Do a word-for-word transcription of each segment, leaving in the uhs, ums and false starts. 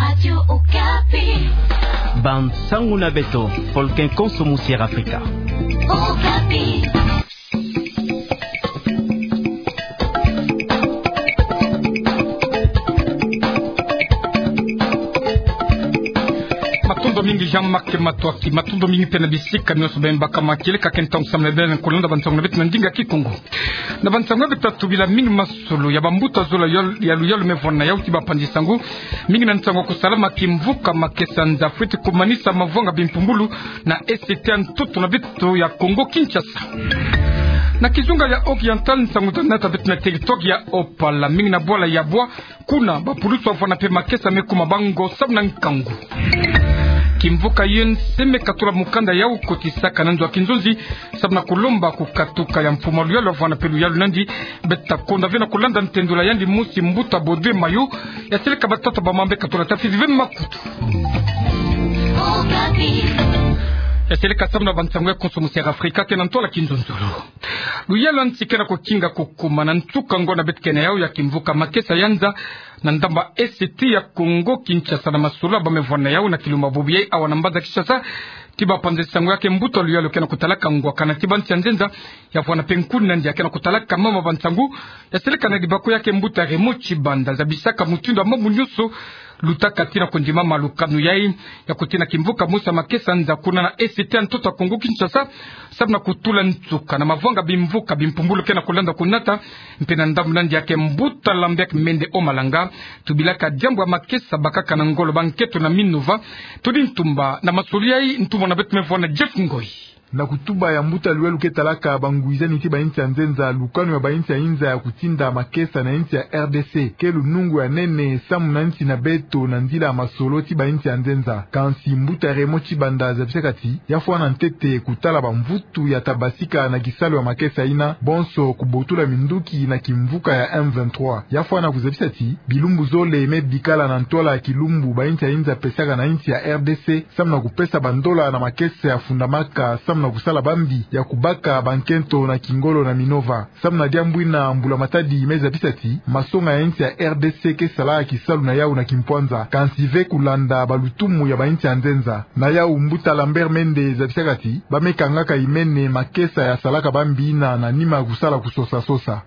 Radio Okapi. Bansangu na beto, folke konso musier Afrika. Okapi. Matondo mingi Jean-Marc Matoaki, matondo mingi mpe na bisika nyonso beno bakama. Kieleka ke ntangu samu na beno kolanda bansangu na beto na ndinga Kikongo. Na bansangu ya beto, tobila mingi masolo ya bambuta zola ya, ya luyalu me vwanda na yau ti bapanzi sangu. Mingi na nsangu ya kusalama kimvuka makesa nza fweti kumanisa mavwanga bimpumbulu na Est ya ntoto na beto ya Congo Kinshasa. Na kizunga ya Oriental, nsangu za nata beto na territoire ya Opala, mingi na bwala ya bwa, kuna bapulusu wavwanda mpe makesa me kuma bango samu na nkangu. Kimvuka U N C me katula mukanda ya kotisaka na nzo ya kinzonzi samu na kulomba kukatuka ya mfumu ya luyalu wavwanda mpe luyalu na yandi. Beto ta konda ve na kulanda ntendula yandi mosi, mbuta Baudouin Mayo, ya seleka batata ba mambu me katula, tafiti ve makutu. Ya seleka samu na bansangu ya konso musier Afrika, ke na ntwala kinzonzolo. Luyalu ya nsi ke na kukinga kukuma na nsuka ngonda beto ke na yau ya kimvuka makesa ya nza na ndamba Est ya Congo Kinshasa, na masolo ya bau me vwanda na yau na kilumbu bubu yai awa na mbanza Kinshasa. Ti bapanzi sangu ya ke mbuta luyalu ke na kutalaka ngwakana ti bansi ya nzenza, ya vwanda mpe nkuni na yandi ya ke na kutalaka mama bansangu, ya seleka na dibako ya ke mbuta Raymond Tshibanda, zabisaka mutindu ya mambu nyonso lutaka tii na kondima ma lukanu yai ya kutina kimvuka mosi ya makesa nza kuna na Est ya ntoto ya Congo Kinshasa, samu na kutula nsuka na mavwanga bimvuka bimpumbulu ke na kulanda kunata, mpe na ndambu na yandi ya ke mbuta Lambert Mende Omalanga. Tubilaka diambu ya makesa bakaka na ngolo ba nkento na Minova. Tudi ntumba na masolo yai, ntumba na beto me vwanda Jeff Ngoi. Na kutuba ya mbuta luyalu ke talaka bangwizani ti bainsi ya nzenza, lukanu ya bainsi ya inza ya kutinda makesa na insi ya R D C ke lunungu ya nene samu na insi na beto na nzila ya masolo ti bainsi ya nzenza. Kansi mbuta Raymond Tshibanda zabisaka ti ya fwana ntete kutala bamvutu ya ta basika na kisalu ya makesa yina, bonso kubotula minduki na kimvuka ya M vingt-trois. Ya fwana kuzabisa ti bilumbu zole me bikala na ntwala ya kilumbu bainsi ya inza pesaka na insi ya R D C samu na kupesa bandola na makesa ya fundamaka samu na kusala bambi ya kubaka bankento na kingolo na Minova. Samu na diambu yina, mbula matadi me zabisa ti masonga ya insi ya R D C ke sala kisalu na yau na kimpwanza, kansi ve kulanda balutumu ya bainsi ya nzenza. Na yau mbuta Lambert Mende zabisaka ti ba me kangaka imene makesa ya salaka bambi yina na nima ya kusala kusosa-sosa.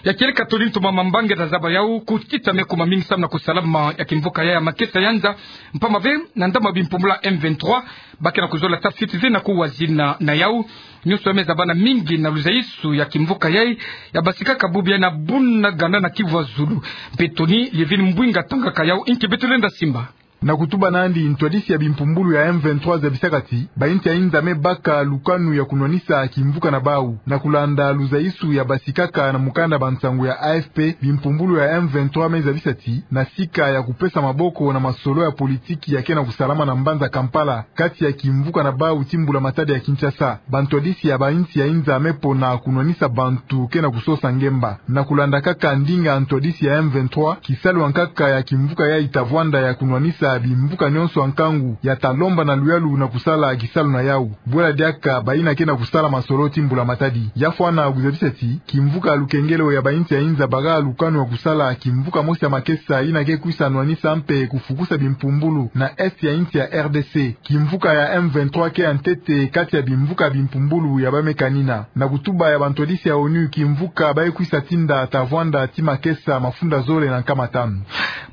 Ya kieleka, tudi ntumba, mambu nge ta zaba yau, kutita me kuma mingi samu na kusalama ya kimvuka ya, ya makesa ya nza, mpamba ve na ndambu ya bimpumbulu ya M vingt-trois ba ke na kuzola tafiti ve na kuwazina na yau. Nyonso ya me zabana mingi na luzaisu ya kimvuka yai ya basikaka bubu yai na Bunagana na Kivu ya Zulu. Mpe Tony Lievine Mbwinga atangaka yau, inki beto lenda simba. Na kutuba na yandi, ntwadisi ya bimpumbulu ya M vingt-trois zabisaka ti bainsi ya inza me baka lukanu ya kunwanisa kimvuka na bau. Na kulanda luzaisu ya basikaka na mukanda bansangu ya A F P, bimpumbulu ya M vingt-trois me zabisa ti na sika ya kupesa maboko na masolo ya politiki ya ke na kusalama na mbanza Kampala kati ya kimvuka na bau ti mbula matadi ya Kinshasa, bantwadisi ya bainsi ya inza me pona kunwanisa bantu ke na kusosa ngemba. Na kulanda kaka ndinga ya ntwadisi ya M vingt-trois, kisalu ya nkaka ya kimvuka yai ta vwanda ya kunwanisa bimvuka nyonso ya nkangu ya ta lomba na luyalu na kusala kisalu na yau. Bwela diaka bayina ke na kusala masolo ti mbula matadi. Ya fwana kuzabisa ti kimvuka ya lukengelo ya bainsi ya inza baka lukanu ya kusala kimvuka mosi ya makesa yina ke kwisa nwanisa mpe kufukusa bimpumbulu na Est ya insi ya R D C. Kimvuka ya M vingt-trois ke ya ntete kati ya bimvuka bimpumbulu ya ba me kanina. Na kutuba ya bantwadisi ya ONU, kimvuka ba ye kwisa tinda ta vwanda ti makesa mafunda zole na nkama tanu.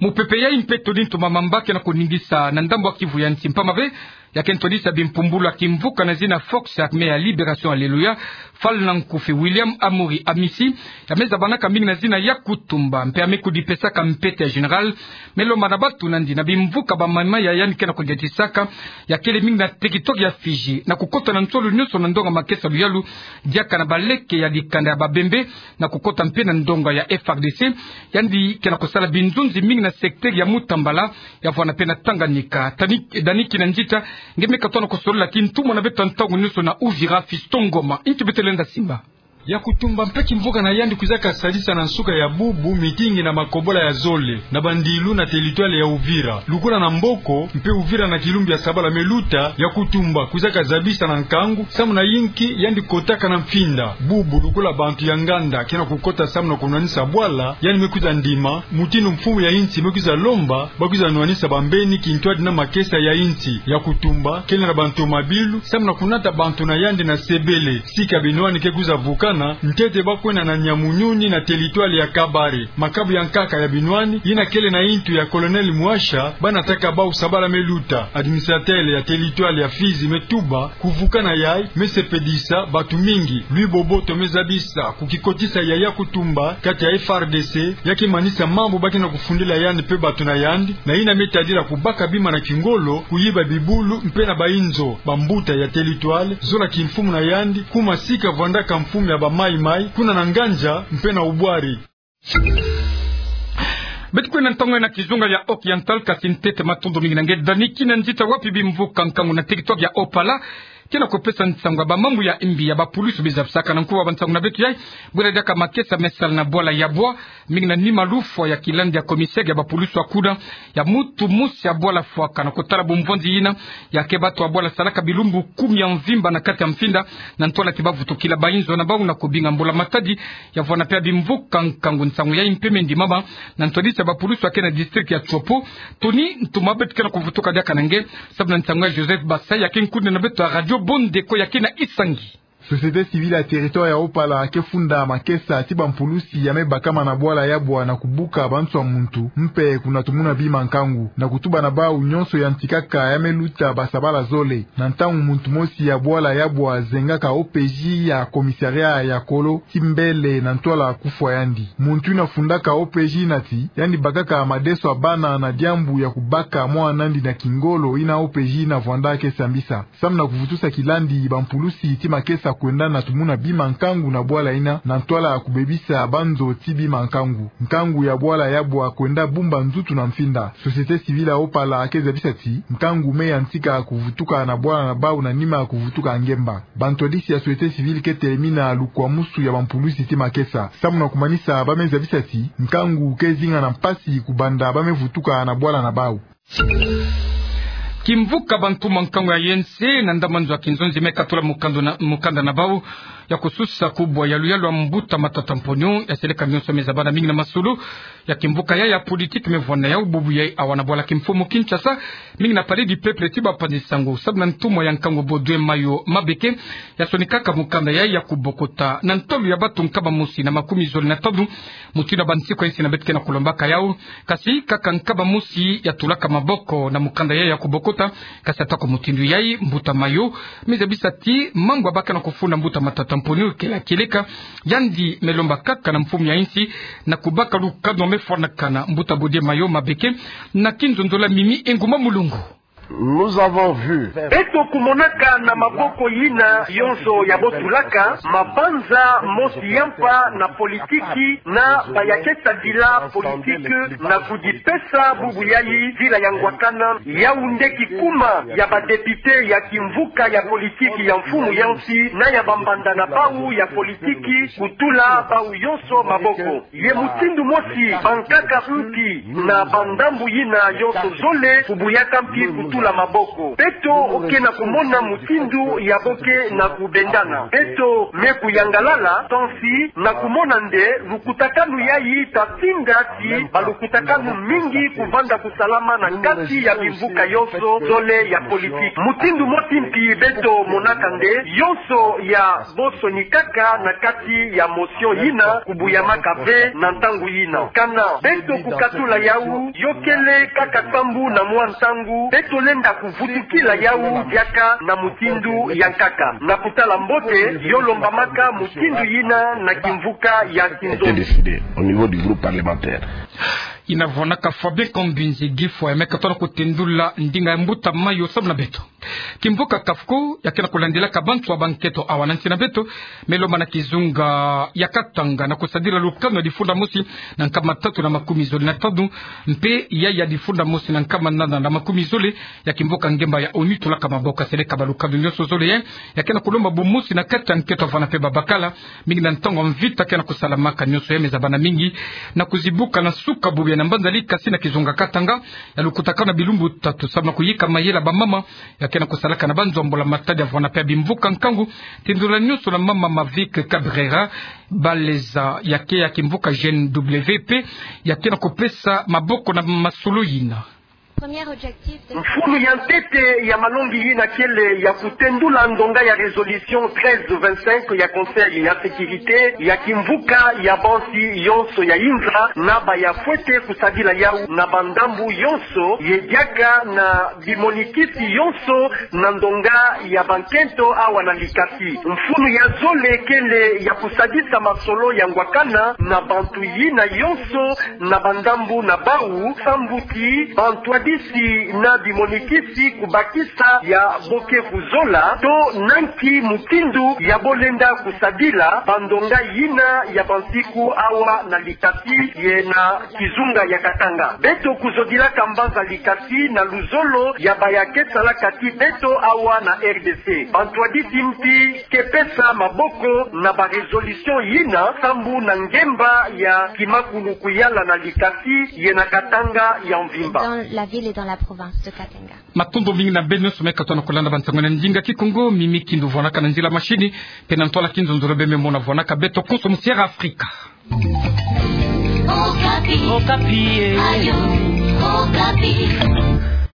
Mupepe yai mpe tudi ntumba, mambu ke na kuningisa na ndambu ya Kivu ya nsi, mpamba ve ya ke ntwadisi ya bimpumbulu ya kimvuka na zina Forces Armées ya Libération, Alléluia, Fally Nankoufou William Amuri Amisi, ya me zabanaka mingi na zina Yakutumba, mpe ya me kudipesaka mpete ya général, me lomba na bantu na yandi na bimvuka ba mama ya yandi ke na kudiatisaka, ya kele mingi na territoire ya Fidji. Na kukota na nsolo nyonso na ndonga makesa luyalu, diaka na baleke ya dikanda ya Babembe, na kukota mpe na ndonga ya F R D C, yandi ke na kusala binzonzi mingi na secteur ya Mutambala, ya vwanda mpe na Tanganyika. Tani-, Dani Kinanzita nge me katoa na kusolola, kintu mwana beto ntangu nyonso na Uvira, Fiston Ngoma, inki beto lenda simba. Yakutumba mpe kimvuka na yandi kwizaka sadisa na nsuka ya bubu mitingi na makobola ya zole na bandilu na teritware ya Uvira. Lukula na Mboko mpe Uvira na Kilumbi ya sabala me luta, Yakutumba kwizaka zabisa na nkangu samu na yinki yandi kotaka na mfinda. Bubu lukula bantu ya nganda ke na kukota samu na kunwanisa bwala, yandi me kwiza ndima mutindu mfumu ya insi me kwiza lomba ba kwiza nwanisa bambeni kintwadi na makesa ya insi. Yakutumba kele na bantomabilu samu na kunata bantu na yandi na Sebele, sika binwani ke kwiza vukana, ntete ba kwenda na Nyamunyuni na teritware ya Kabare. Makabu ya nkaka ya binwani yina kele na intu ya Colonel Mwasha, ba nataka bau sabala me luta. Administrateur ya teritware ya Fizi me tuba kuvukana yayi me sepelisa bantu mingi. Louis Boboto me zabisa kukikotisa ya Yakutumba kati ya F R D C, ya ke manisa mambu ba ke na kufundila yandi mpe bantu na yandi, na yina me tadila kubaka bima na kingolo, kuyiba bibulu mpe na bayinzo. Bambuta ya teritware zola kimfumu na yandi, kuma sika vwandaka mfumu ya ba Mai Mai, kuna na Nganza mpe na Ubwari. Beto kwenda ntangu na kizunga ya Occidental, kasi ntete matondo mingi na nge Dani Kinanzita. Wapi bimvuka nkangu na teritware ya Opala ke na kupesa nsangu ya bamambu ya imbi ya bapulusu be zabisaka na nkuwa ba nsangu na beto yayi, bwela diaka makesa me sala na bwala ya bwa, mingi na nima lufwa ya kilandi ya commissaire ya bapulusu ya kuna, ya muntu mosi ya bwala fwaka na kutala bumvonzi yina ya ke bato ya bwala salaka bilumbu kumi ya mvimba na kati ya mfinda, na ntwala ti ba vutukila bayinzo na bau na kubinga mbula-matadi. Ya vwanda mpe ya bimvuka nkangu. Nsangu yayi mpe me ndimama na ntwadisi ya bapulusu ya ke na district ya Tshopo. Tony Ntuma, beto ke na kuvutuka diaka na nge samu na nsangu ya Joseph Basai, ya ke nkundu na beto ya Radio Bondeko, ya ke na Isangi. Société civile ya territoire ya Opala ke funda makesa ti bampulusi ya me bakama na bwala ya bwa na kubuka banswa muntu, mpe kuna tumuna bima nkangu, na kutuba na bau nyonso ya ntikaka ya me luta ba sabala zole. Na ntangu muntu mosi ya bwala ya bwa zengaka O P J ya commissariat ya Kolo, ti mbele na ntwala kufwa yandi. Muntu yina fundaka O P J yina ti yandi bakaka madeso ya bana na diambu ya kubaka mwana nandi na kingolo yina O P J yina vwanda ke sambisa. Samu na kuvutusa kilandi, bampulusi ti makesa kwenda na tumuna bima nkangu na bwala yina, na ntwala kubebisa banzo ti bima nkangu. Nkangu ya bwala ya bwa kwenda bumba nzutu na mfinda. Société civile ya Opala ke zabisa ti nkangu me yantika kuvutuka na bwala na bau na nima kuvutuka ngemba. Bantwadisi ya société civile ke telemina lukwamusu ya bampulusi ti makesa. Samu na kumanisa, ba me zabisa ti nkangu ke zinga na mpasi kubanda ba me vutuka na bwala na bau. Kimvuka bantuma nkangu ya yinsi na ndambu nzo ya kinzonzi me katula mukanda na, mukanda na bau ya kususa kubwa ya luyalu ya mbuta Matata Mponyo, ya seleka mionso me zabana mingi na masolo ya kimvuka yayi ya politique me vwanda yau bubu yayi awa na bwala kimfumu Kinshasa, mingi na Palais du Peuple ti ba panzi nsangu. Samu na ntumwa ya nkangu Baudouin Mayo Mabeke, ya sonikaka mukanda yayi ya kubokota na ntolo ya bantu nkama mosi na makumi zole na tanu, mutindu ya bansiku ya insi na beto ke na kulombaka yau. Kasi kaka nkama mosi ya tulaka maboko na mukanda yayi ya kubokota. Kasi atako mutindu yayi, mbuta Mayo me zabisa ti mambu ya ba ke na kufunda mbuta Matata Mponyo kele ya kieleka. Yandi me lomba kaka na mfumu ya insi na kubaka lukanu me fwanakana. Mbuta Baudouin Mayo Mabeke, na kinzonzolo ya Mimi Nguma Mulongo. Nous avons vu. Beto kumonaka na maboko yina yonso ya botulaka, mabanza mosi ya mpa na politiki na ba ya ke tadila politique na kudipesa bubu yayi nzila ya ngwakana. Yau nde kikuma ya ba députés ya kimvuka ya politique ya mfumu ya insi na ya bambanda na bau ya politique kutula bau yonso maboko. Ye mutindu mosi bankaka mpi na bandambu yina yonso zole kubuyaka mpi kutula maboko. Beto ke na kumona mutindu ya bo ke na kubendana. Beto me kuyangalala, kansi na kumona nde lukutakanu yayi ta tinda ti balukutakanu mingi kuvanda kusalama na kati ya bimvuka yonso zole ya politique. Mutindu mosi mpi beto monaka nde yonso ya bo sonikaka na kati ya motion yina kubuyamaka ve na ntangu yina. Kana beto kukatula yau, yo kele kaka sambu na mwa ntangu, beto lenda kuvutukila yau diaka na mutindu ya nkaka. Na kutala mbote, yo lombamaka mutindu yina na kimvuka ya kinzonzi. Été décidé au niveau du groupe parlementaire. Ina vwanaka Fabien Kambinzi Gifo ya me ka tona kutendula ndinga ya mbuta mayo samu na beto. Kimvuka Kafko, ya ke na kulandilaka bantu ya bankento awa na nsi na beto, me lomba na kizunga ya Katanga na kusadila lukanu ya difunda mosi na nkama tatu na makumi zole na tanu, mpe ya ya difunda mosi na nkama nana na makumi zole, ya kimvuka ngemba ya ONU tolaka maboko ya seleka balukanu nyonso zole, eh, ya ke na kulomba bumosi na kati ya nkento ya vana mpe babakala, mingi na ntangu ya mvita ke na kusalamaka nyonso ya me za bana mingi na kuzibuka na suka bubu ya na mbanza Likasi na kizunga Katanga, ya lukutakanu na bilumbu tatu samu na kuyika mayela bamama ya ke na kusalaka na banzo ya mbula-matadi ya vana mpe ya bimvuka nkangu. Tindula nyonso na mama Mavic Cabrera Baleza ya ke ya kimvuka G N W P, ya ke na kupesa maboko na masolo yina. Premier objectif de... Mfunu ya ntete ya malongi yina kele ya kutendula ndonga ya résolution treize vingt-cinq ya Conseil ya sécurité ya kimvuka ya bansi yonso ya inza, na baya fwete kusadila yawu na bandambu yonso, ye diaka na bimonikisi yonso na ndonga ya bankento awa na Likasi. Mfunu ya zole kele ya kusadisa masolo ya ngwakana na bantu yina yonso na bandambu na bawu, sambu ti bantwadisi na bimonikisi kubakisa ya bo ke kuzola to na nki mutindu ya bo lenda kusadila bandonga yina ya bansiku awa na Likasi ye na kizunga ya Katanga. Beto kuzodilaka mbanza Likasi na luzolo ya baya ke salaka ti beto awa na R D C. Bantwadisi mpi ke pesa maboko na ba résolution yina sambu na ngemba ya kimakulu kuyala na Likasi ye na Katanga ya mvimba. Dans la ville et dans la province de Katanga. Matondo mingi na beno nyonso me ka tona kulanda bansangu na ndinga Kikongo. Mimi Kindu vwanaka na nzila machine, mpe na ntwala kinzonzolo beno me mona vwanaka beto konso mu Sierra Africa. Okapi. Okapi, eh. Ayo, Okapi.